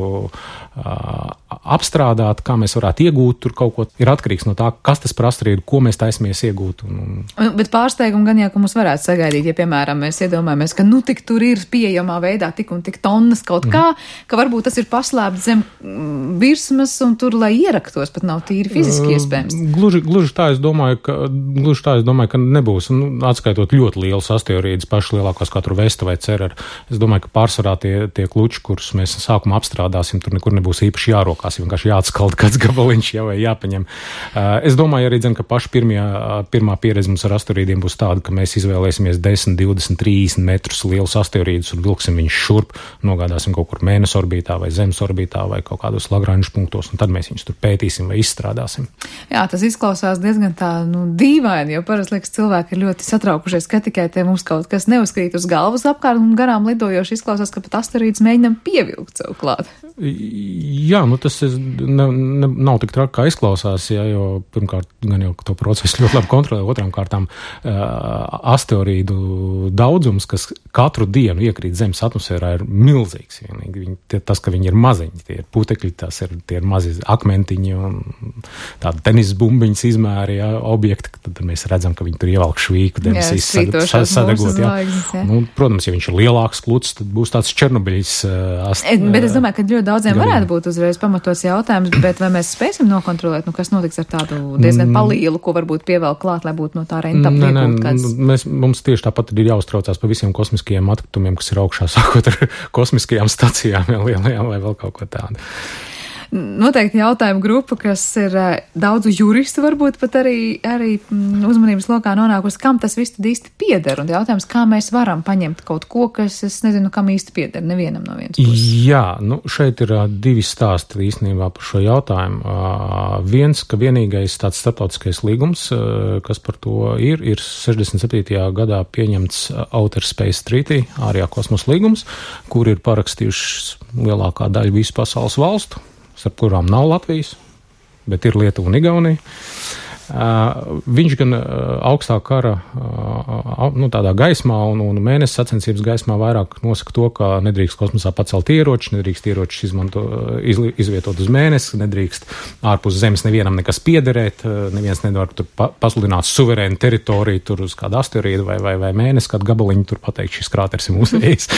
apstrādāt, kā mēs varētu iegūt tur kaut ko, ir atkarīgs no tā, kas tas par asteroīdu, ko mēs taisamies iegūt. Bet pārsteigumu gan jau, ka mums varētu sagaidīt, ja, piemēram, mēs iedomājamies, ka tik tur ir pieejamā veidā tik un tik tonnas kaut kā, ka varbūt tas ir paslēpts zem virsmas un tur, lai ieraktos, pat nav tīri fiziski iespējams. Gluži tā es domāju, ka nebūs. Atskaitot ļoti lielus asteroīdus, paši lielākos kā tur Vesta vai Cerer, es domāju, ka pārsvarā tie kluči, kurus mēs sākumā apstrādāsim, tur nekur nebūs īpaši jārokās, vienkārši jāatskalda kāds gabaliņš, vai jāpaņem. Es domāju arī, ka paši pirmā pieredze mums ar asteroīdiem būs tāda, ka mēs izvēlēsimies 10, 20, 30 metrus lielus asteroīdus un vilksim viņus šurp, nogādāsim kaut kur Mēness orbītā vai Zemes orbītā vai kaut kādos Lagranžu punktos, un tad mēs viņus tur pētīsim vai izstrādāsim. Jā, tas izklausās diezgan tā, dīvaini, jo parasti liekas, cilvēki ir ļoti satraukušies, ka tikai te mums kaut kas neuzkrīt uz galvas apkārt un garām lidojoši izklausās, ka pat asteroīds mēģinam pievilkt sev klāt. Jā, tas nav tik traki, kā izklausās, jo pirmkārt gan jau to procesu ļoti labi kontrolē, otrām kārtām asteroīdu daudzums, kas katru dienu iekrīt Zemes atmosfērā, ir milzīgs. Tas, ka viņi ir maziņi, tie ir putekļi, tie ir mazi akmentiņi un tādi tenis bumbiņas izmēri, objekti, tad mēs redzam, ka viņi tur ievelk švīku, debesīs sadegot. Protams, ja viņš ir lielāks kluts, tad būs tāds Černobiļs. Bet es domāju, ka ļoti daudziem varētu būt uzreiz pamatos jautājums, bet vai mēs spēsim nokontrolēt, kas notiks ar tādu diezgan palielu, ko varbūt pievēl klāt, lai būtu no tā rentap iegūt kāds? Mums tieši tāpat ir jāuztraucās par visiem kosmiskajiem atkritumiem, kas ir augšā, sākot ar kosmiskajām stacijām lielajām vai vēl kaut ko tādu. noteikti jautājumu grupa, kas ir daudzu juristu varbūt pat arī uzmanības lokā nonākusi, kam tas viss tad īsti pieder. Un jautājums, kā mēs varam paņemt kaut ko, kas es nezinu, kam īsti pieder, nevienam no vienas puses. Jā, šeit ir divi stāsti īstenībā par šo jautājumu. Viens, ka vienīgais tāds starptautiskais līgums, kas par to ir 67. gadā pieņemts Outer Space Treaty, ārējā kosmosa līgums, kur ir parakstījušas lielākā daļa visu pasaules valstu, starp kurām nav Latvijas, bet ir Lietuva un Igaunija. Viņš gan augstā kara tādā gaismā un mēnesis sacensības gaismā vairāk nosaka to, ka nedrīkst kosmosā pacelt ieroči, nedrīkst ieročus izvietot uz mēnesi, nedrīkst ārpus zemes nevienam nekas piederēt, neviens nevar tur pasludināt suverēnu teritoriju tur uz kādu asteroīdu vai mēnesi, kādu gabaliņu tur pateikt, šis krāters ir mūsējis.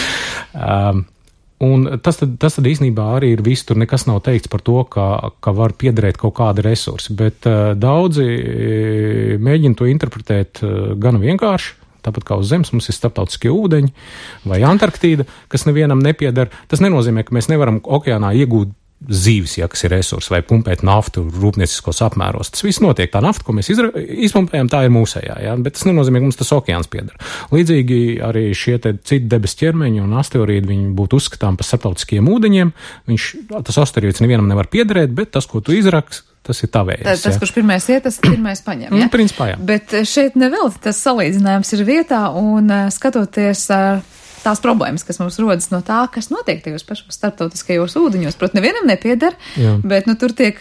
Un tas tad īstenībā arī ir viss, tur nekas nav teikts par to, ka var piederēt kaut kādi resursi, bet daudzi mēģina to interpretēt gan vienkārši, tāpat kā uz Zemes mums ir starptautiskie ūdeņi vai Antarktīda, kas nevienam nepieder. Tas nenozīmē, ka mēs nevaram okeānā iegūt zīves, kas ir resursi, vai pumpēt naftu rūpnieciskos apmēros. Tas viss notiek. Tā nafta, ko mēs izpumpējam, tā ir mūsējā, bet tas nenozīmē, ka mums tas okeāns pieder. Līdzīgi arī šie citi debesu ķermeņi un asteroīdi, viņi būtu uzskatām par starptautiskiem ūdeņiem. Tas asteroīds nevienam nevar piederēt, bet tas, ko tu izraksti, tas ir tavējais. Tas, kurš pirmais iet, tas pirmais paņem, ja? Principā, jā. Bet šeit nevēl tas salīdzinājums ir vietā un skatoties tās problēmas, kas mums rodas no tā, kas notiek tajos pašos starptautiskajos ūdeņos. Protams, nevienam nepieder, bet tur tiek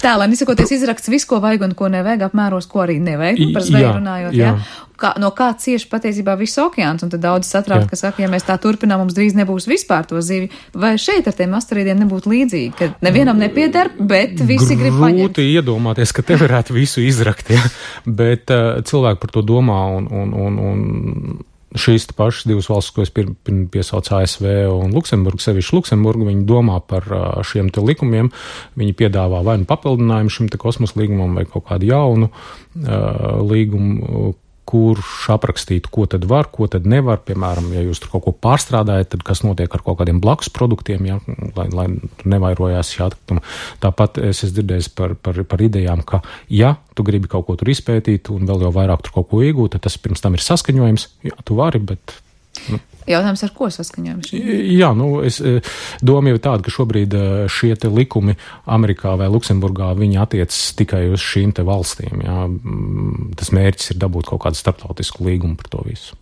tēlēni izsakoties izraksts visu, ko vajag un ko nevajag, apmēros, ko arī nevajag, par zveju runājot, jā. No kā cieši patiesībā viss okeāns, un tad daudz satraukt, ka saka, ja mēs tā turpinām, mums drīz nebūs vispār to zivju. Vai šeit ar tiem asteroīdiem nebūtu līdzīgi, ka nevienam nepieder, bet visi grib paņemt? Grūti iedomāties, ka te varētu visu izrakt, bet cilvēki par to domā un šīs pašas divas valstis, ko es piesaucu ASV un Luksemburgu, sevišķi Luksemburgu, viņi domā par šiem te likumiem, viņi piedāvā vai nu papildinājumu šim te kosmosa līgumam vai kaut kādu jaunu līgumu, kurš aprakstītu, ko tad var, ko tad nevar. Piemēram, ja jūs tur kaut ko pārstrādājat, tad kas notiek ar kaut kādiem blakus produktiem, lai nevairojās šī atkrituma. Tāpat es esmu dzirdējis par idejām, ka ja tu gribi kaut ko tur izpētīt un vēl jau vairāk tur kaut ko iegūt, tad tas pirms tam ir saskaņojums. Jā, tu vari, bet... Jautājums, ar ko saskaņojam? Jā, doma jau tāda, ka šobrīd šie te likumi Amerikā vai Luksemburgā, viņi attiecas tikai uz šīm te valstīm. Jā. Tas mērķis ir dabūt kaut kādu starptautisku līgumu par to visu.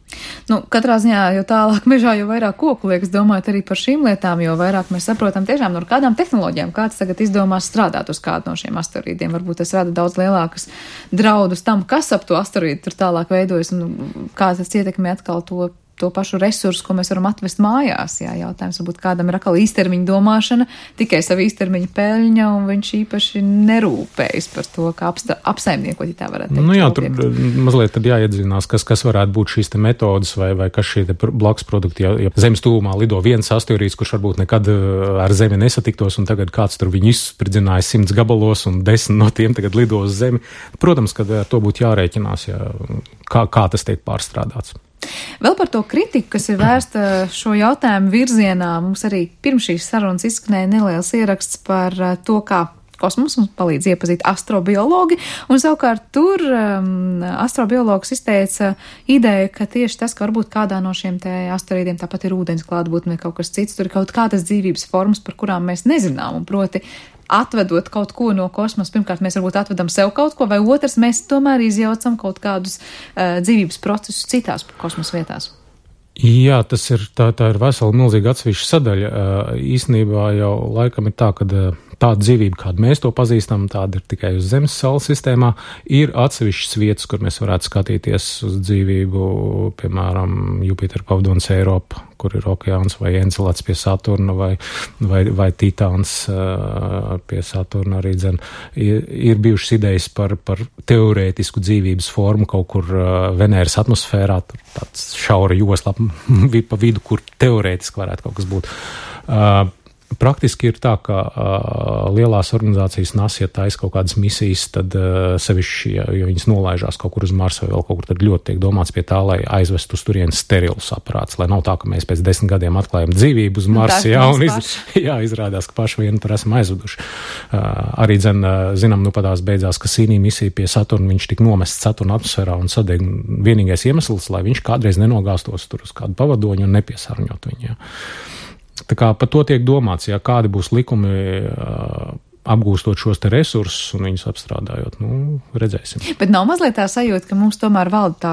Katrā ziņā, jo tālāk mežā, jo vairāk koku liekas domāt arī par šīm lietām, jo vairāk mēs saprotam tiešām no kādām tehnoloģijām, kāds tagad izdomās strādāt uz kādu no šiem asteroīdiem. Varbūt tas rada daudz lielākas draudus tam, kas ap to asteroīdu tur tālāk veidojas un kā tas ietekmē atkal to pašu resursu, ko mēs varam atvest mājās. Jā, jautājums varbūt kādam ir atkal īstermiņa domāšana, tikai savu īstermiņa peļņa, un viņš īpaši nerūpējas par to, kā apsaimniekot, ja tā varētu teikt. Jā, tur mazliet tad jāiedzinās, kas varētu būt šīs te metodas vai kas šie te blakus produkti. Ja Zemes tūmā lido viens asteroīds, kurš varbūt nekad ar Zemi nesatiktos, un tagad kāds tur viņu izspridzināja 100 gabalos, un 10 no tiem tagad lido uz Zemi. Protams, ka ar to būtu jārēķinās, kā tas tiek pārstrādāts. Vēl par to kritiku, kas ir vērsta šo jautājumu virzienā, mums arī pirms šīs sarunas izskanēja neliels ieraksts par to, kā kosmos mums palīdz iepazīt astrobiologi, un savukārt tur astrobiologs izteica ideju, ka tieši tas, ka varbūt kādā no šiem te asteroīdiem tāpat ir ūdens klātbūtne vai kaut kas cits, tur ir kaut kādas dzīvības formas, par kurām mēs nezinām, un proti atvedot kaut ko no kosmosa, pirmkārt mēs varbūt atvedam sev kaut ko, vai otrs mēs tomēr izjaucam kaut kādus dzīvības procesus citās kosmosa vietās. Jā, tā ir vesela milzīga atsevišķa sadaļa. Īstenībā jau laikam ir tā, ka tāda dzīvība, kādu mēs to pazīstam, tāda ir tikai uz Zemes saules sistēmā. Ir atsevišķas vietas, kur mēs varētu skatīties uz dzīvību, piemēram, Jupiter pavadonis Eiropa, kur ir okeāns, vai Encelāds pie Saturna, vai Titāns pie Saturna arī dzen. Ir bijušas idejas par teorētisku dzīvības formu kaut kur Venēras atmosfērā, tur tāds šaura josla pa vidu, kur teorētiski varētu kaut kas būt. Praktiski ir tā, ka lielās organizācijas NASA, ja taisa kaut kādas misijas, tad sevišķi, ja viņas nolaižās kaut kur uz Marsu vai vēl kaut kur, tad ļoti tiek domāts pie tā, lai aizvestu uz turien sterilus aparāts, lai nav tā, ka mēs pēc 10 gadiem atklājam dzīvību uz Marsu, un izrādās, ka paši vienu tur esam aizveduši. Arī zinām, padās beidzās, ka Cassini misija pie Saturna, viņš tika nomests Saturna atmosfērā un sadeg vienīgais iemesls, lai viņš kādreiz nenogāstos tur uz kādu pavadoņu un nepiesārņot viņu. Jā. Tā kā par to tiek domāts, ja kādi būs likumi apgūstot šos te resursus un viņus apstrādājot, redzēsim. Bet nav mazliet tā sajūta, ka mums tomēr valda tā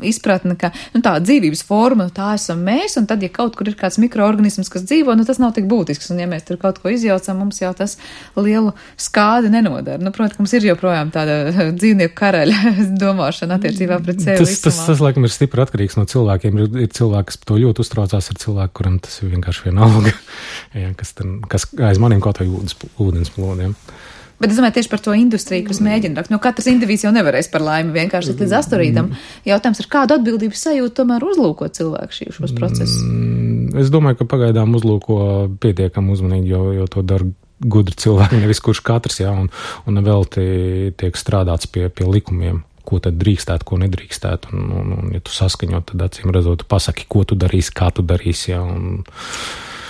izpratne, ka tā dzīvības forma, tā esam mēs, un tad, ja kaut kur ir kāds mikroorganisms, kas dzīvo, tas nav tik būtisks, un ja mēs tur kaut ko izjaucam, mums jau tas lielu skādi nenodara. Protams, ka mums ir joprojām tāda dzīvnieku karaļa domāšana attiecībā pret sevi. Tas laikam ir stipri atkarīgs no cilvēkiem. Ir cilvēki, kas to ļoti uztraucās, ir cilvēki, kuram tas ir vienkārši vienalga, kas aiz maniem kaut vai ūdens plūdiem. Bet es domāju tieši par to industriju, kas mēģina rakt. Katrs indivīds jau nevarēs par laimi vienkārši līdz asteroīdam. Jautājums ir, kādu atbildības sajūtu tomēr uzlūko cilvēku šos procesus? Es domāju, ka pagaidām uzlūko pietiekam uzmanīgi, jo to dara gudri cilvēki, nevis kurš katrs, un vēl tiek strādāts pie likumiem. Ko tad drīkstētu, ko nedrīkstētu, un ja tu saskaņot, tad acīm redzot, tu pasaki, ko tu darīsi, kā tu darīsi,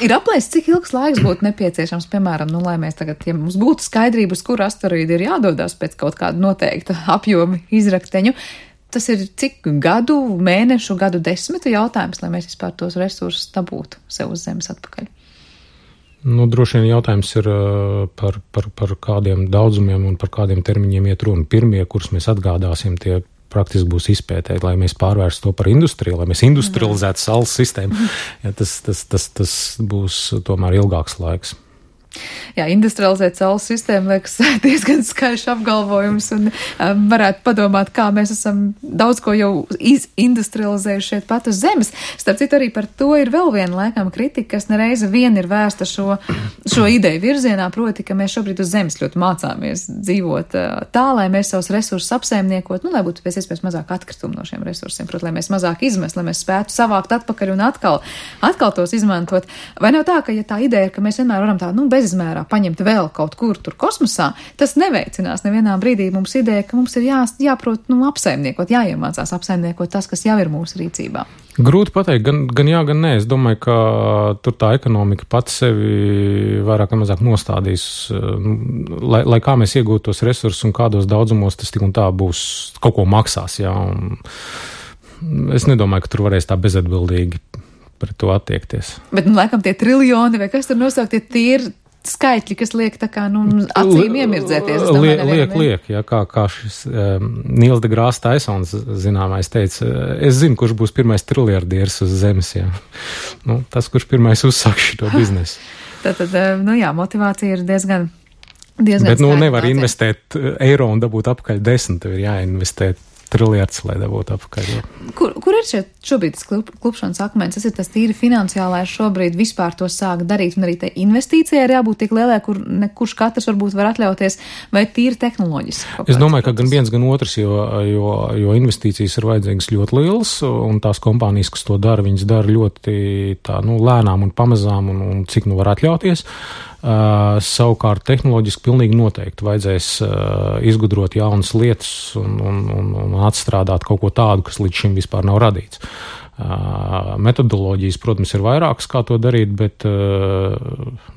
Ir aplēsts, cik ilgs laiks būtu nepieciešams, piemēram, lai mēs tagad, ja mums būtu skaidrība, uz kuru asteroīdu ir jādodās pēc kaut kāda noteikta apjoma izrakteņu. Tas ir cik gadu, mēnešu, gadu desmitu jautājums, lai mēs vispār tos resursus dabūtu sev uz Zemes atpakaļ. Droši vien jautājums ir par kādiem daudzumiem un par kādiem termiņiem iet runa. Pirmie, kurus mēs atgādāsim, tie praktiski būs izpētēji, lai mēs pārvērstu to par industriju, lai mēs industrializētu saules sistēmu. Ja, tas būs tomēr ilgāks laiks. Jā, industrializēt saules sistēmu liekas diezgan skaļš apgalvojums un varētu padomāt, kā mēs esam daudz ko jau industrializējuši šeit pat uz Zemes. Starp citu, arī par to ir vēl viena laikam kritika, kas nereize vien ir vērsta šo ideju virzienā, proti, ka mēs šobrīd uz Zemes ļoti mācāmies dzīvot tā, lai mēs savus resursus apsaimniekot, lai būtu pēc iespējas mazāk atkritumu no šiem resursiem, proti, lai mēs mazāk izmest, lai mēs spētu savākt atpakaļ un atkal tos izmantot. Vai nav tā, ka ja tā ideja ir, ka mēs vienmēr varam tā, bezizmērā paņemt vēl kaut kur tur kosmosā, tas neveicinās nevienā brīdī mums ideja, ka mums ir jāprot apsaimniekot, jāiemācās apsaimniekot tas, kas jau ir mūsu rīcībā. Grūti pateikt, gan jā, gan nē. Es domāju, ka tur tā ekonomika pati sevi vairāk vai mazāk nostādīs, lai kā mēs iegūtu tos resursus un kādos daudzumos tas tik un tā būs, kaut ko maksās, jā. Un es nedomāju, ka tur varēs tā bezatbildīgi pret to attiekties. Bet, laikam, tie triljoni vai kas tur nosaukt, tie ir skaitļi, kas liek tā kā, acīm iemirdzēties. Liek, jā, kā šis Nils deGrasse Tysons zināmais teica, es zinu, kurš būs pirmais triljardieris uz Zemes, jā. Tas, kurš pirmais uzsāk šito biznesu. Tātad, motivācija ir diezgan Bet, nevar investēt eiro un dabūt apakaļ 10, tev ir jāinvestē triljards, lai dabūtu apakaļ. Kur ir šobrīd tas klupšanas akmens? Tas ir tas tīri finansiālais šobrīd vispār to sāk darīt, un arī tai investīcijai ir jābūt tik lielai, kur kurš katrs varbūt var atļauties, vai tīri tehnoloģiski? Es domāju, ka gan viens, gan otrs, jo investīcijas ir vajadzīgas ļoti lielas, un tās kompānijas, kas to dara, viņas dara ļoti lēnām un pamazām, un cik var atļauties. Savukārt tehnoloģiski pilnīgi noteikti vajadzēs izgudrot jaunas lietas un atstrādāt kaut ko tādu, kas līdz šim vispār nav radīts. Metodoloģijas, protams, ir vairākas, kā to darīt, bet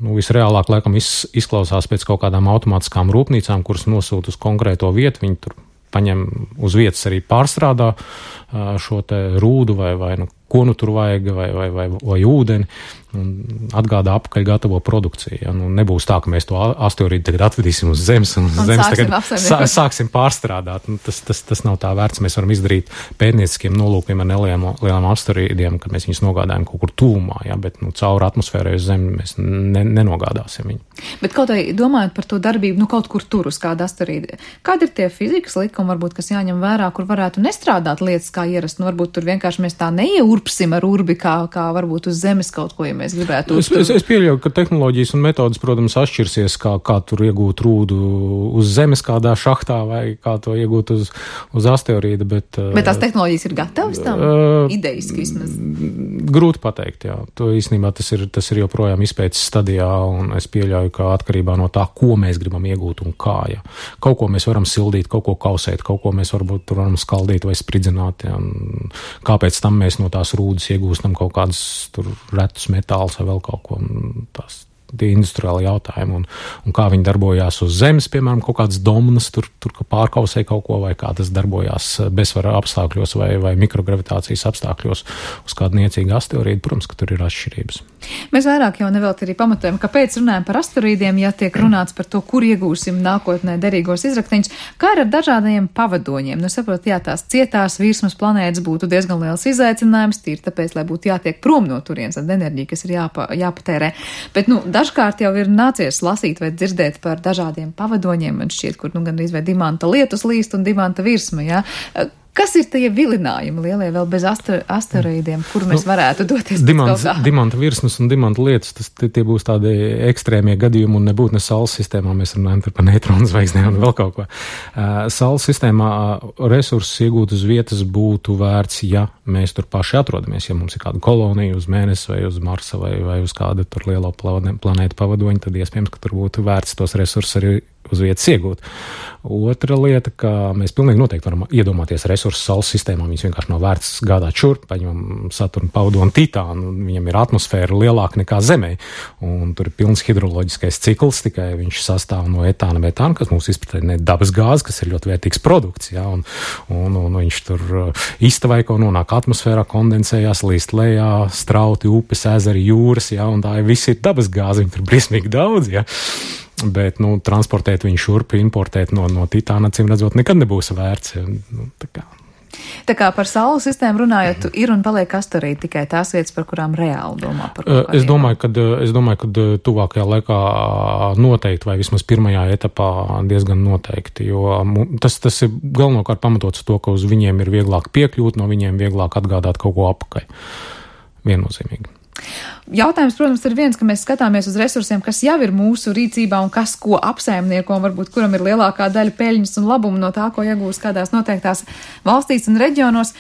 visreālāk laikam izklausās pēc kaut kādām automātiskām rūpnīcām, kuras nosūta uz konkrēto vietu, viņi tur paņem uz vietas arī pārstrādā šo te rūdu vai ko tur vajag, vai ūdeni, un atgādā apakaļ gatavo produkciju. Ja? Nebūs tā, ka mēs to asteroīdu tagad atvedīsim uz Zemes un Zemes tagad sāksim pārstrādāt. Tas nav tā vērts. Mēs varam izdarīt pētnieciskiem nolūkiem ar nelielām asteroīdiem, kad mēs viņus nogādājam kaut kur tūmā, ja? Bet caur atmosfērai uz Zemi mēs nenogādāsim viņu. Bet kaut vai domājot par to darbību, kaut kur tur uz kādu asteroīdu, kādi ir tie fizikas likumi, varbūt, kas jāņem vērā, kur varētu nestrādāt lietas kā ierast, varbūt tur vienkārši mēs tā neieurpinām urpsim ar urbi, kā varbūt uz zemes kaut ko, ja mēs gribētu. Es pieļauju, ka tehnoloģijas un metodas, protams, atšķirsies, kā tur iegūt rūdu uz zemes kādā šahtā vai kā to iegūt uz asteroīda, bet tās tehnoloģijas ir gatavas tam? Idejiski vismaz? Grūti pateikt, jā. To īstenībā tas ir joprojām izpētes stadijā, un es pieļauju, ka atkarībā no tā, ko mēs gribam iegūt un kā, ja. Kaut ko mēs varam sildīt, kaut ko kausēt, kaut ko mēs varbūt tur varam skaldīt vai spridzināt, ja. Kāpēc tam mēs no tās rūdas iegūstam kaut kādus tur retus metālus vai vēl kaut ko, tie industriāli jautājumi, un kā viņi darbojās uz zemes, piemēram, kaut kādas domnas, tur pārkausē kaut ko, vai kā tas darbojās bezsvara apstākļos vai mikrogravitācijas apstākļos uz kādu niecīgu asteroīdu, protams, ka tur ir atšķirības. Mēs vairāk jau nevelti arī pamatojam, kāpēc runājam par asteroīdiem, ja tiek runāts par to, kur iegūsim nākotnē derīgos izrakteņus, kā ir ar dažādajiem pavadoņiem. Nu, saprot, jā, tās cietās virsmas planētas būtu diezgan liels izaicinājums, tīri tāpēc, lai būtu jātiek prom no turienes ar enerģiju, kas ir jāpatērē. Bet, dažkārt jau ir nācies lasīt vai dzirdēt par dažādiem pavadoņiem, man šķiet, kur gandrīz vai dimanta lietus līst un dimanta virsma, jā. Kas ir tie vilinājumi lielie vēl bez asteroīdiem, kur mēs varētu doties? Dimanta virsmas un dimanta lietus, tie būs tādi ekstrēmie gadījumi un nebūtu ne Saules sistēmā, mēs runājam par neitronu zvaigznēm un vēl kaut ko. Saules sistēmā resursus iegūt uz vietas būtu vērts, ja mēs tur paši atrodamies, ja mums ir kāda kolonija uz Mēnesi vai uz Marsa vai uz kāda tur lielo planētu pavadoņa, tad iespējams, ka tur būtu vērts tos resursus arī uz vietas iegūt. Otra lieta, ka mēs pilnīgi noteikti varam iedomāties resursus Saules sistēmā, viņas vienkārši nav vērts gādāt šurp, paņemam Saturnu, Pavadu un Titānu, viņam ir atmosfēra lielāka nekā Zemē, un tur ir pilns hidroloģiskais cikls, tikai viņš sastāv no etāna, metāna, kas mums izpratē dabas gāze, kas ir ļoti vērtīgs produkts, jā, un viņš tur iztavaiko nonāk atmosfērā, kondensējās, līst lejā, strauti, upes, ezeri, jūras, jā, un tā viss ir dabas gāze, viņi tur briesmīgi daudz, jā. Bet, transportēt viņu šurp, importēt no Titāna, acīm redzot, nekad nebūs vērts. Tā kā par Saules sistēmu runājot, ir un paliek asteroīdi tikai tās vietas, par kurām reāli domā par kaut kādiem. Es domāju, ka tuvākajā laikā noteikti, vai vismaz pirmajā etapā diezgan noteikti, jo tas ir galvenokārt pamatots to, ka uz viņiem ir vieglāk piekļūt, no viņiem vieglāk atgādāt kaut ko apakaļ. Viennozīmīgi. Jautājums, protams, ir viens, ka mēs skatāmies uz resursiem, kas jau ir mūsu rīcībā un kas ko apsaimnieko, un varbūt kuram ir lielākā daļa peļņas un labumu no tā, ko iegūst kādās noteiktās valstīs un reģionos.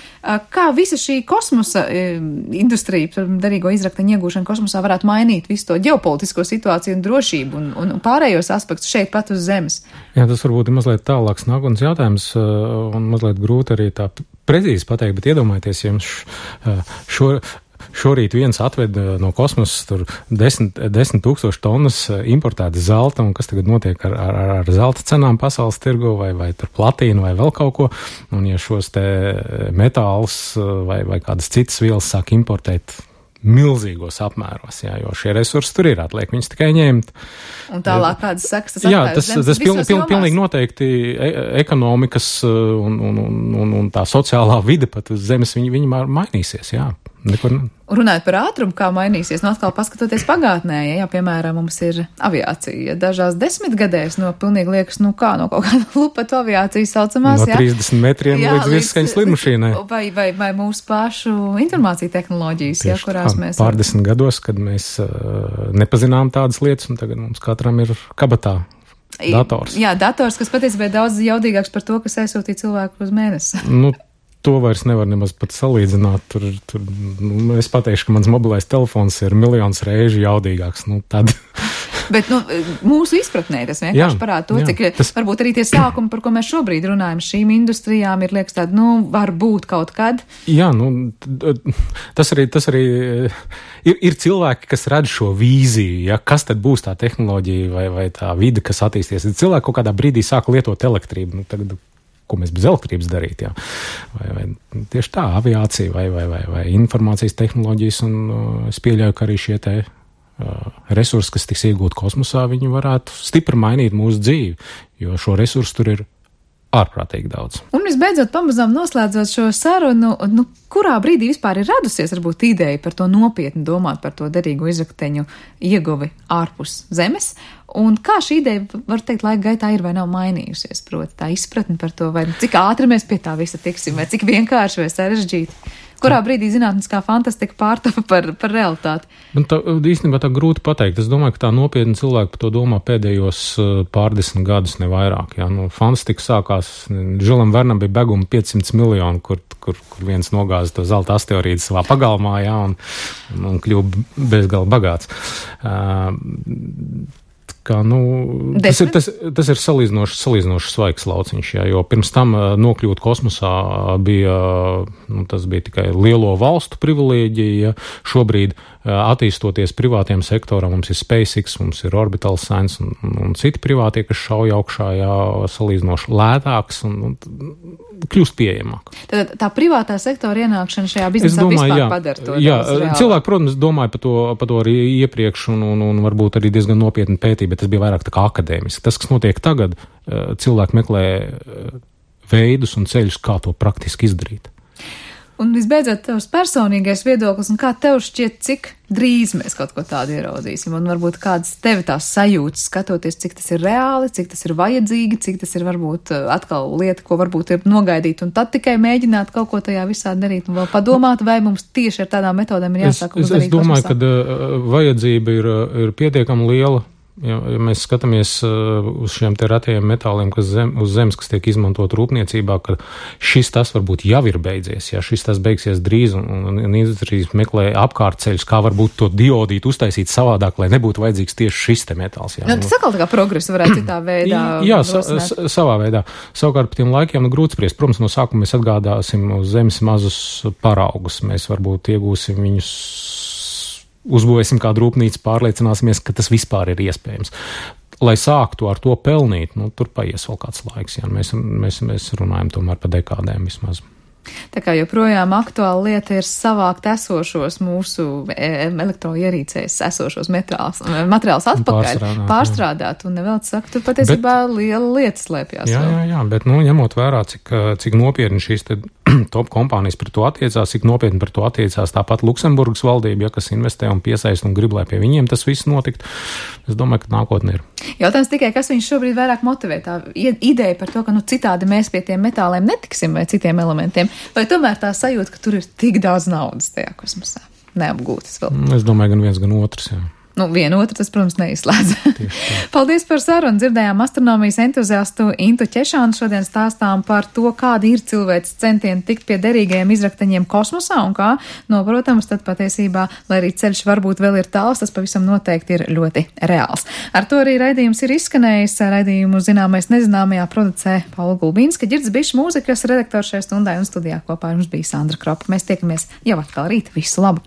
Kā visa šī kosmosa industrija, derīgo izrakteņu iegūšana kosmosā varētu mainīt visu to ģeopolitisko situāciju un drošību un pārējos aspektus šeit pat uz Zemes? Jā, tas varbūt ir mazliet tālāks nākotnes jautājums un mazliet grūti arī tā precīzi pateikt, bet iedomājieties, jums šorīt viens atved no kosmosa tur 10 000 tonnas importēta zelta, un kas tagad notiek ar zelta cenām pasaules tirgu vai tur platīnu vai vēl kaut ko, un ja šos te metālus vai kādas citas vielas sāk importēt milzīgos apmēros, jā, jo šie resursi tur ir, atliek viņus tikai ņemt. Un tālāk kādas sekas tas atstāja uz Zemes visos jomās? Pilnīgi noteikti ekonomikas un tā sociālā vide pat uz Zemes viņi mainīsies, jā. Runājot par ātrumu, kā mainīsies, atkal paskatoties pagātnē, ja piemēram mums ir aviācija, dažās 10 gadēs pilnīgi liekas, no kaut kāda lupatu aviācijas saucamās, no 30 metriem līdz virsskaņas lidmašīnai. Vai mūsu pašu informācija tehnoloģijas, tieši kurās mēs... Pārdesmit gados, kad mēs nepazinām tādas lietas, un tagad mums katram ir kabatā dators. Jā, dators, kas patiesībā ir daudz jaudīgāks par to, kas aizsūtīja cilvēku uz Mēnesi. To vairs nevar nemaz pat salīdzināt. Es pateikšu, ka mans mobilais telefons ir miljonus reižu jaudīgāks. Tad. Bet mūsu izpratnē tas vienkārši parāda to, cik varbūt arī tie sākumi, par ko mēs šobrīd runājam, šīm industrijām ir liekas tādi, var būt kaut kad. Jā, tas arī ir cilvēki, kas redz šo vīziju, ja, kas tad būs tā tehnoloģija vai tā vide, kas attīsties. Cilvēki kaut kādā brīdī sāk lietot elektrību. Tagad ko mēs bez elektrības darīt, jā. Vai tieši tā, aviācija vai informācijas tehnoloģijas, un es pieļauju, ka arī šie te resursi, kas tiks iegūt kosmosā, viņi varētu stipri mainīt mūsu dzīvi, jo šo resursu tur ir ārprātīgi daudz. Un visbeidzot, pamazām noslēdzot šo sarunu, kurā brīdī vispār ir radusies varbūt ideja par to nopietni domāt par to derīgo izrakteņu ieguvi ārpus Zemes, Un kā šī ideja, var teikt, laika gaitā ir vai nav mainījusies, proti tā izpratni par to, vai cik ātri mēs pie tā visa tiksim, vai cik vienkārši vai sarežģīti? Kurā brīdī zinātniskā fantastika pārtapa par realitāti? Īstenībā tā grūti pateikt. Es domāju, ka tā nopietni cilvēki par to domā pēdējos pārdesmit gadus, ne vairāk. Jā. Fantastika sākās, Žilam Vernam bija beguma 500 miljoni, kur viens nogāza to zelta asteroīdu savā pagalmā, jā, un kļuva bezgala bagāts. Tas ir salīdzinoši svaigs lauciņš, jā, jo pirms tam nokļūt kosmosā tas bija tikai lielo valstu privilēģija. Šobrīd attīstoties privātiem sektoram, mums ir SpaceX, mums ir Orbital Science un citi privātie, kas šauj augšā, jā, salīdzinoši lētāks un kļūst pieejamāk. Tad tā privātā sektora ienākšana šajā biznesā vispār padara to. Jā, cilvēki, protams, domāja par to arī iepriekš un varbūt arī diezgan nopietni pētīja, bet tas bija vairāk tā kā akadēmiski. Tas, kas notiek tagad, cilvēki meklē veidus un ceļus, kā to praktiski izdarīt. Un visbeidzot, tavs personīgais viedoklis, un kā tev šķiet, cik drīz mēs kaut ko tādu ieraudzīsim, un varbūt kādas tevi tās sajūtas, skatoties, cik tas ir reāli, cik tas ir vajadzīgi, cik tas ir varbūt atkal lieta, ko varbūt ir nogaidīt, un tad tikai mēģināt kaut ko tajā visā darīt, un vēl padomāt, vai mums tieši ar tādām metodēm ir jāsāk uz darīt. Es domāju, ka vajadzība ir pietiekami liela. Ja mēs skatāmies uz šiem te ratajiem metāliem, kas uz zemes, kas tiek izmantot rūpniecībā, ka šis tas varbūt jau ir beidzies, ja šis tas beigsies drīz un industrijs meklē apkārtceļus, kā varbūt to diodīt uztaisīt savādāk, lai nebūtu vajadzīgs tieši šis te metāls. Ja. Tas atkal tā kā progresu varētu citā veidā. Jā, savā veidā. Savukārt par tiem laikiem grūti spriest. Protams, no sākuma mēs atgādāsim uz zemes mazus paraugus. Mēs varbūt iegūsim viņus, uzbūvēsim kādu rūpnīcu, pārliecināsimies, ka tas vispār ir iespējams. Lai sāktu ar to pelnīt, tur paies vēl kāds laiks, ja mēs runājam tomēr par dekādēm vismaz. Tā kā joprojām aktuāla lieta ir savākt esošos mūsu elektroierīcēs esošos materiālus atpakaļ, pārstrādāt, un nevēl saka, tur patiesībā liela lieta slēpjās. Jā, bet ņemot vērā, cik nopietni šīs te top kompānijas par to attiecās, cik nopietni par to attiecās tāpat Luksemburgas valdība, kas investē un piesaist un grib, lai pie viņiem tas viss notikt. Es domāju, ka nākotnē ir. Jautājums tikai, kas viņš šobrīd vairāk motivē, tā ideja par to, ka citādi mēs pie tiem metāliem netiksim vai citiem elementiem, vai tomēr tā sajūta, ka tur ir tik daudz naudas tajā kosmosā neapgūtas vēl? Es domāju, gan viens, gan otrs, jā. Vienu otru tas, protams, neizslēdz. Paldies par sarunu. Dzirdējām astronomijas entuziastu Intu Ķešānu. Šodien stāstām par to, kādi ir cilvēks centieni tikt pie derīgajiem izrakteņiem kosmosā un kā, protams, tad patiesībā, lai arī ceļš varbūt vēl ir tāls, tas pavisam noteikti ir ļoti reāls. Ar to arī raidījums ir izskanējis. Raidījumu zināmais nezināmajā producē Paula Gulbīnska, Ģirds Bišs, mūzikas redaktors šai stundai, un studijā kopā ar mums bija Sandra Kropa. Mēs tiekamies jau atkal rīt. Visu labu!